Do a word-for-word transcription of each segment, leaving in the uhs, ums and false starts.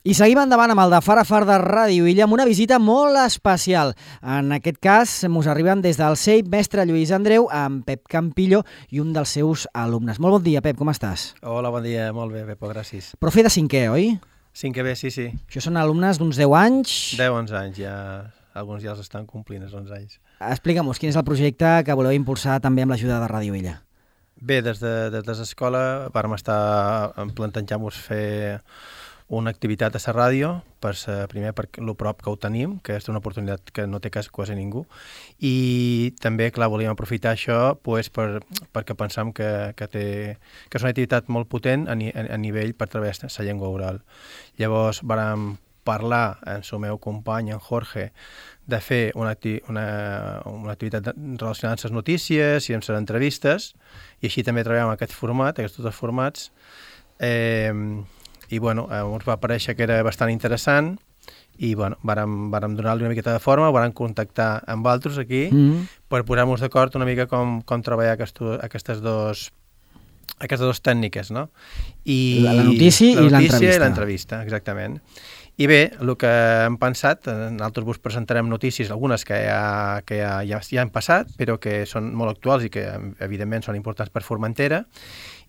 I seguim endavant amb el de Fara Far de Ràdio Illa amb una visita molt especial. En aquest cas, mos arriben des del C E I P Mestre Lluís Andreu amb Pep Campillo i un dels seus alumnes. Molt bon dia, Pep, com estàs? Hola, bon dia, molt bé, Pepo, gràcies. Profe de cinquè, oi? Cinquè bé, sí, sí. Això són alumnes d'uns deu anys? deu, onze anys, ja. Alguns ja els estan complint, els onze anys. Explica'm-nos, quin és el projecte que voleu impulsar també amb l'ajuda de Ràdio Illa? Bé, des de, des de l'escola vam estar plantejant-nos fer una activitat a la ràdio, per ser, primer per lo prop que ho tenim, que és una oportunitat que no té quasi, quasi ningú, i també, clar, volíem aprofitar això pues, per, perquè pensam que, que, té, que és una activitat molt potent a, ni, a nivell per través de la llengua oral. Llavors vàrem parlar amb el meu company, en Jorge, de fer una, acti una, una activitat relacionada amb les notícies i amb les entrevistes, i així també treballem en aquest format, aquests dos formats, eh, i bueno, eh, ens va aparèixer que era bastant interessant i bueno, vàrem, vàrem donar-li una miqueta de forma, vàrem contactar amb altres aquí mm -hmm. per posar-nos d'acord una mica com, com treballar aquestos, aquestes dos aquestes dues tècniques, no? I la, la notícia, la notícia i l'entrevista. i l'entrevista, exactament. I bé, el que hem pensat, nosaltres vos presentarem notícies, algunes que ja, que ja, ja, ja han passat, però que són molt actuals i que evidentment són importants per Formentera,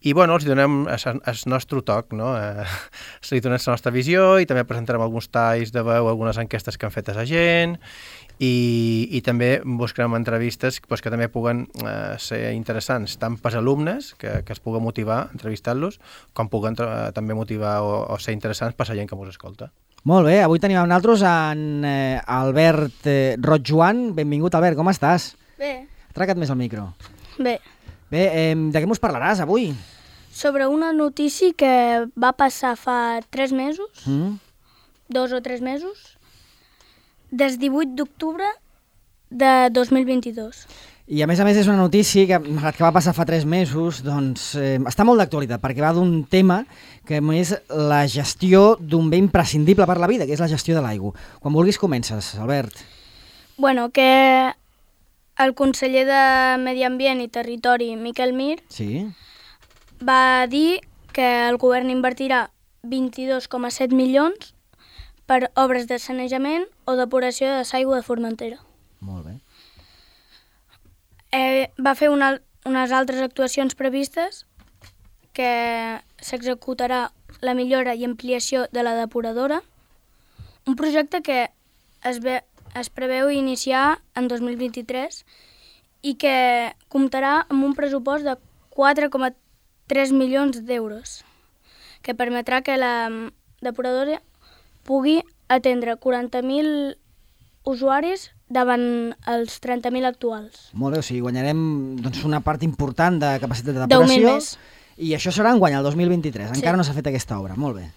i bueno, els donem el nostre toc, no? Eh, li donem la nostra visió i també presentarem alguns talls de veu, algunes enquestes que han fet a la gent, i, i també buscarem entrevistes pues, que també puguen eh, ser interessants tant per als alumnes, que, que es puguen motivar entrevistant-los, com puguen eh, també motivar o, o ser interessants per a la gent que ens escolta. Molt bé, avui tenim amb nosaltres en eh, Albert eh, Roig-Joan. Benvingut, Albert, com estàs? Bé. Atraca't més al micro. Bé. Bé, eh, de què mos parlaràs avui? Sobre una notícia que va passar fa tres mesos, Mm? dos o tres mesos, des divuit d'octubre de dos mil vint-i-dos. I a més a més és una notícia que, malgrat que va passar fa tres mesos, doncs eh, està molt d'actualitat, perquè va d'un tema que és la gestió d'un bé imprescindible per la vida, que és la gestió de l'aigua. Quan vulguis comences, Albert. Bueno, que el conseller de Medi Ambient i Territori, Miquel Mir, Sí. va dir que el govern invertirà vint-i-dos coma set milions per obres de sanejament o depuració de l'aigua de Formentera. Molt bé. Eh, va fer una, unes altres actuacions previstes, que s'executarà la millora i ampliació de la depuradora, un projecte que es, ve, es preveu iniciar en dos mil vint-i-tres i que comptarà amb un pressupost de quatre coma tres milions d'euros, que permetrà que la depuradora pugui atendre quaranta mil usuaris davant els trenta mil actuals. Molt bé, o sigui, guanyarem doncs, una part important de capacitat de deu mil depuració. més. I això serà en guany, el dos mil vint-i-tres. Sí. Encara no s'ha fet aquesta obra. Molt bé.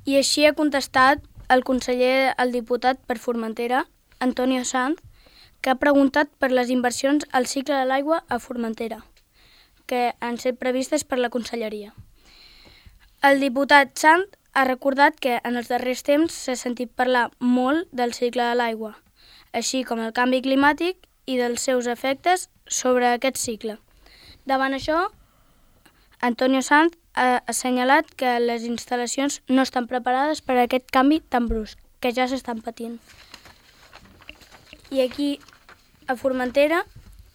I així ha contestat el conseller, el diputat per Formentera, Antonio Sanz, que ha preguntat per les inversions al cicle de l'aigua a Formentera, que han estat previstes per la conselleria. El diputat Sanz ha recordat que en els darrers temps s'ha sentit parlar molt del cicle de l'aigua, així com el canvi climàtic i dels seus efectes sobre aquest cicle. Davant això, Antonio Sanz ha assenyalat que les instal·lacions no estan preparades per a aquest canvi tan brusc, que ja s'estan patint. I aquí, a Formentera,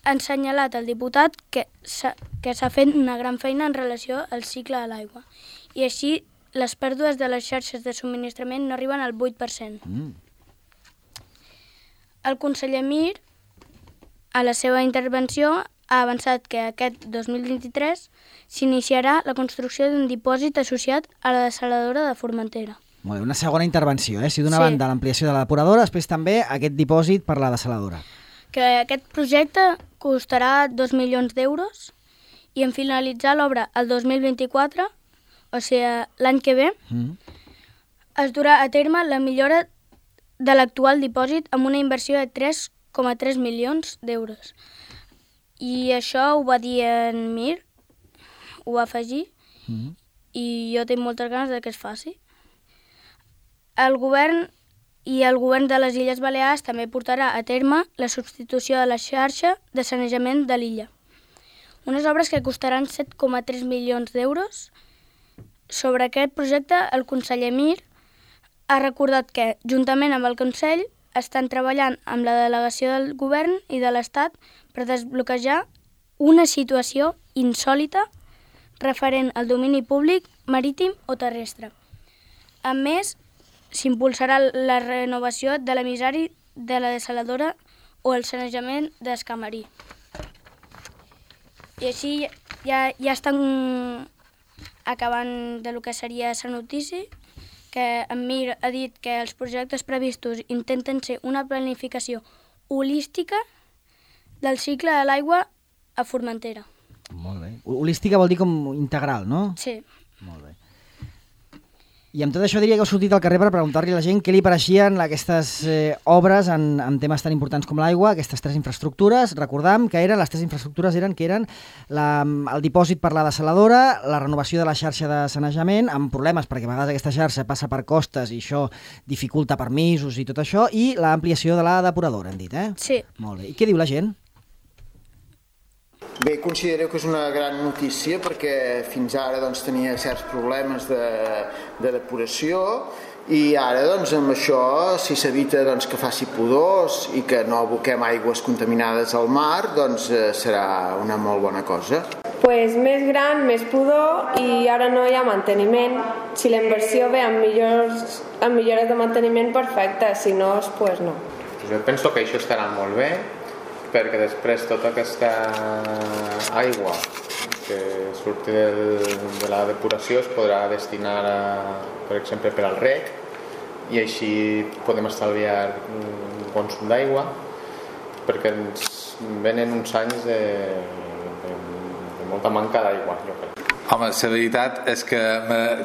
ha assenyalat el diputat que s'ha fet una gran feina en relació al cicle de l'aigua. I així, les pèrdues de les xarxes de subministrament no arriben al vuit per cent. Mm. El conseller Mir, a la seva intervenció, ha avançat que aquest dos mil vint-i-tres s'iniciarà la construcció d'un dipòsit associat a la dessaladora de Formentera. Molt bé, una segona intervenció, eh? Si d'una Sí. banda l'ampliació de la depuradora, després també aquest dipòsit per la dessaladora. Que aquest projecte costarà dos milions d'euros i en finalitzar l'obra el dos mil vint-i-quatre, o sigui, l'any que ve, Mm. es durà a terme la millora de l'actual dipòsit amb una inversió de tres coma tres milions d'euros. I això ho va dir en Mir, ho va afegir, Mm. i jo tinc moltes ganes de que es faci. El govern i el govern de les Illes Balears també portarà a terme la substitució de la xarxa de sanejament de l'illa. Unes obres que costaran set coma tres milions d'euros sobre aquest projecte, el conseller Mir ha recordat que, juntament amb el Consell, estan treballant amb la delegació del govern i de l'Estat per desbloquejar una situació insòlita referent al domini públic, marítim o terrestre. A més, s'impulsarà la renovació de l'emissari de la desaladora o el sanejament d'Escamarí. I així ja, ja estan acabant de lo que seria la notícia, que en Mir ha dit que els projectes previstos intenten ser una planificació holística del cicle de l'aigua a Formentera. Molt bé. Holística vol dir com integral, no? Sí. Molt bé. I amb tot això diria que heu sortit al carrer per preguntar-li a la gent què li pareixien aquestes eh, obres en, en temes tan importants com l'aigua, aquestes tres infraestructures. Recordam que eren, les tres infraestructures eren que eren la, el dipòsit per la desaladora, la renovació de la xarxa de sanejament, amb problemes perquè a vegades aquesta xarxa passa per costes i això dificulta permisos i tot això, i l'ampliació de la depuradora, hem dit, eh? Sí. Molt bé. I què diu la gent? Bé, considero que és una gran notícia perquè fins ara doncs, tenia certs problemes de, de depuració i ara doncs, amb això, si s'evita doncs, que faci pudors i que no aboquem aigües contaminades al mar, doncs eh, serà una molt bona cosa. Pues més gran, més pudor i ara no hi ha manteniment. Si la inversió ve amb, millors, amb millores de manteniment, perfecte, si no, pues no. Jo penso que això estarà molt bé, perquè després tota aquesta aigua que surti del, de la depuració es podrà destinar, a, per exemple, per al reg i així podem estalviar un consum d'aigua perquè ens venen uns anys de, de, de molta manca d'aigua, jo crec. Home, la veritat és que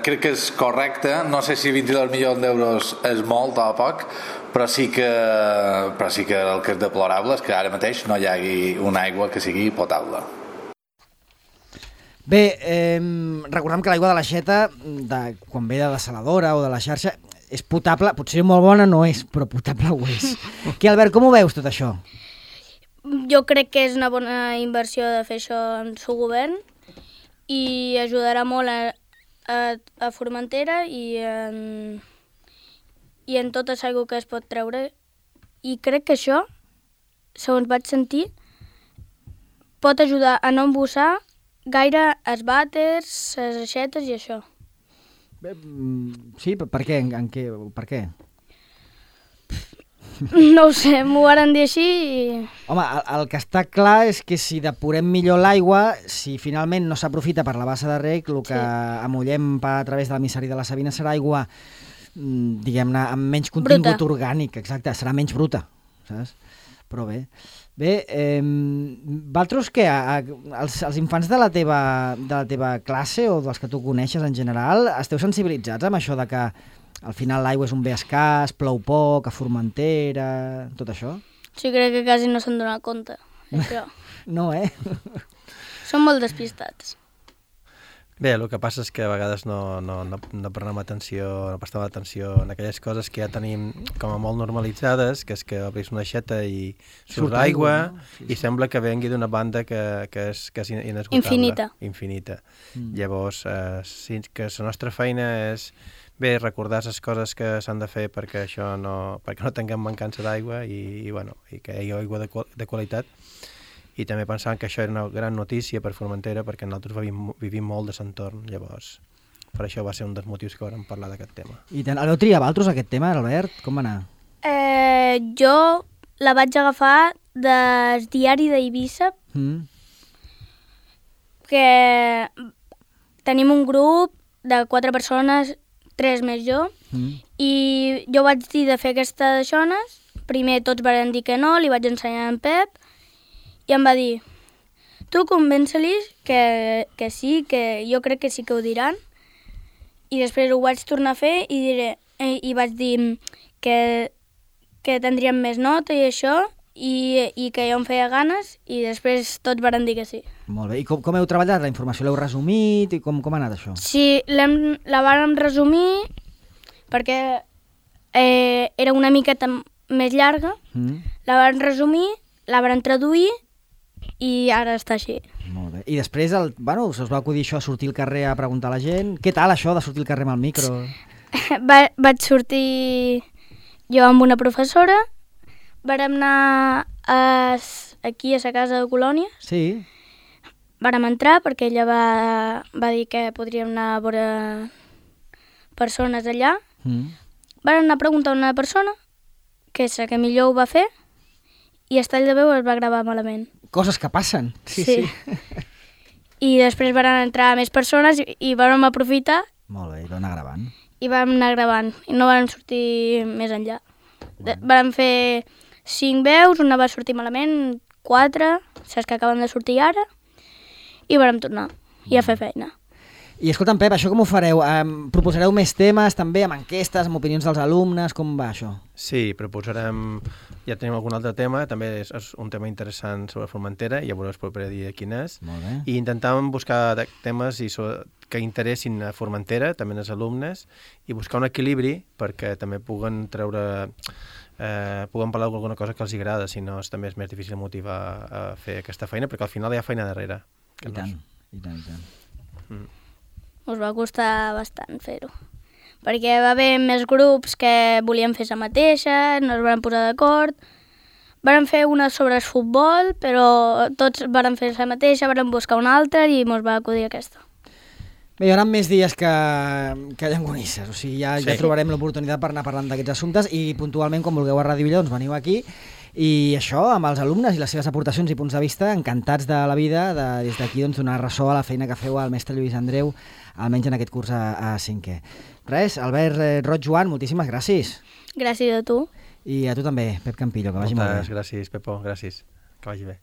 crec que és correcte, no sé si vint-i-dos milions d'euros és molt o poc, però sí que, però sí que el que és deplorable és que ara mateix no hi hagi una aigua que sigui potable. Bé, eh, recordem que l'aigua de l'aixeta, de, quan ve de desaladora o de la xarxa, és potable, potser molt bona no és, però potable ho és. Què, Albert, com ho veus tot això? Jo crec que és una bona inversió de fer això en el seu govern i ajudarà molt a, a, a Formentera i en, i en tota l'aigua que es pot treure. I crec que això, segons vaig sentir, pot ajudar a no embussar gaire els vàters, les aixetes i això. Bé, sí, per què? En, en què? Per què? No ho sé, m'ho varen dir així i... Home, el, el que està clar és que si depurem millor l'aigua, si finalment no s'aprofita per la bassa de reg, el que sí. amullem a través de l'emissari de la Sabina serà aigua, diguem-ne, amb menys contingut bruta. Orgànic, exacte, serà menys bruta, saps? Però bé. Bé, eh, vosaltres què? Els, els infants de la, teva, de la teva classe o dels que tu coneixes en general, esteu sensibilitzats amb això de que al final l'aigua és un bé escàs, plou poc, a Formentera, tot això? Sí, crec que quasi no se'n dona compte, això. No, eh? Són molt despistats. Bé, el que passa és que a vegades no, no, no, no prenem atenció, no prestem atenció en aquelles coses que ja tenim com a molt normalitzades, que és que obris una aixeta i surt aigua, no? Sí, sí. I sembla que vengui d'una banda que, que, és, que és inesgotable. Infinita. Infinita. Mm. Llavors, eh, sí, que la nostra feina és bé recordar les coses que s'han de fer perquè això no, perquè no tinguem mancança d'aigua i, i, bueno, i que hi hagi aigua de, de qualitat. I també pensant que això era una gran notícia per Formentera perquè nosaltres vivim, vivim molt de l'entorn, llavors per això va ser un dels motius que vam parlar d'aquest tema. I el vau triar vosaltres aquest tema, Albert? Com va anar? Eh, jo la vaig agafar del diari d'Eivissa, mm. que tenim un grup de quatre persones, tres més jo, mm. i jo vaig dir de fer aquestes zones, primer tots van dir que no, li vaig ensenyar en Pep, i em va dir, tu convença-lis que, que sí, que jo crec que sí que ho diran. I després ho vaig tornar a fer i, diré, i vaig dir que, que tindríem més nota i això, i, i que jo em feia ganes, i després tots van dir que sí. Molt bé. I com, com heu treballat? La informació l'heu resumit? I com, com ha anat això? Sí, la vàrem resumir perquè eh, era una miqueta més llarga, mm. la vam resumir, la vam traduir i ara està així. Molt bé. I després, el, bueno, us va acudir això, sortir al carrer a preguntar a la gent. Què tal això de sortir al carrer amb el micro? Va, vaig sortir jo amb una professora, vàrem anar a, aquí a la casa de Colònia. Sí. Vàrem entrar perquè ella va, va dir que podríem anar a veure persones allà. Mm. Vàrem anar a preguntar a una persona, que és la que millor ho va fer, i el tall de veu es va gravar malament. Coses que passen. Sí, sí. sí. I després van entrar més persones i, i vam aprofitar. Molt bé, i vam anar gravant. I vam anar gravant, i no vam sortir més enllà. De, vam fer cinc veus, una va sortir malament, quatre, saps que acaben de sortir ara, i vam tornar, i a fer feina. I escolta'm, Pep, això com ho fareu? Um, proposareu més temes també, amb enquestes, amb opinions dels alumnes? Com va això? Sí, proposarem... Ja tenim algun altre tema, també és, és un tema interessant sobre Formentera, ja veureu el proper dia quin és. Molt bé. I intentàvem buscar temes i so, que interessin a Formentera, també als alumnes, i buscar un equilibri perquè també puguen treure... Eh, puguen parlar d'alguna cosa que els agrada, si no és, també és més difícil motivar a fer aquesta feina, perquè al final hi ha feina darrere. I tant, i tant, i tant. Mm. Us va costar bastant fer-ho, perquè va haver més grups que volien fer la mateixa, no es van posar d'acord. Varen fer una sobre el futbol, però tots varen fer la mateixa, varen buscar una altra i ens va acudir aquesta. Bé, hi haurà més dies que, que llangonisses, o sigui, ja, sí. ja trobarem l'oportunitat per anar parlant d'aquests assumptes i puntualment, quan vulgueu a Ràdio Villa, doncs veniu aquí. I això, amb els alumnes i les seves aportacions i punts de vista, encantats de la vida, de, des d'aquí doncs, donar ressò a la feina que feu al mestre Lluís Andreu, almenys en aquest curs a, a cinquè. Res, Albert eh, Roig Joan, moltíssimes gràcies. Gràcies a tu. I a tu també, Pep Campillo, que vagi molt bé. Moltes gràcies, Pepo, gràcies. Que vagi bé.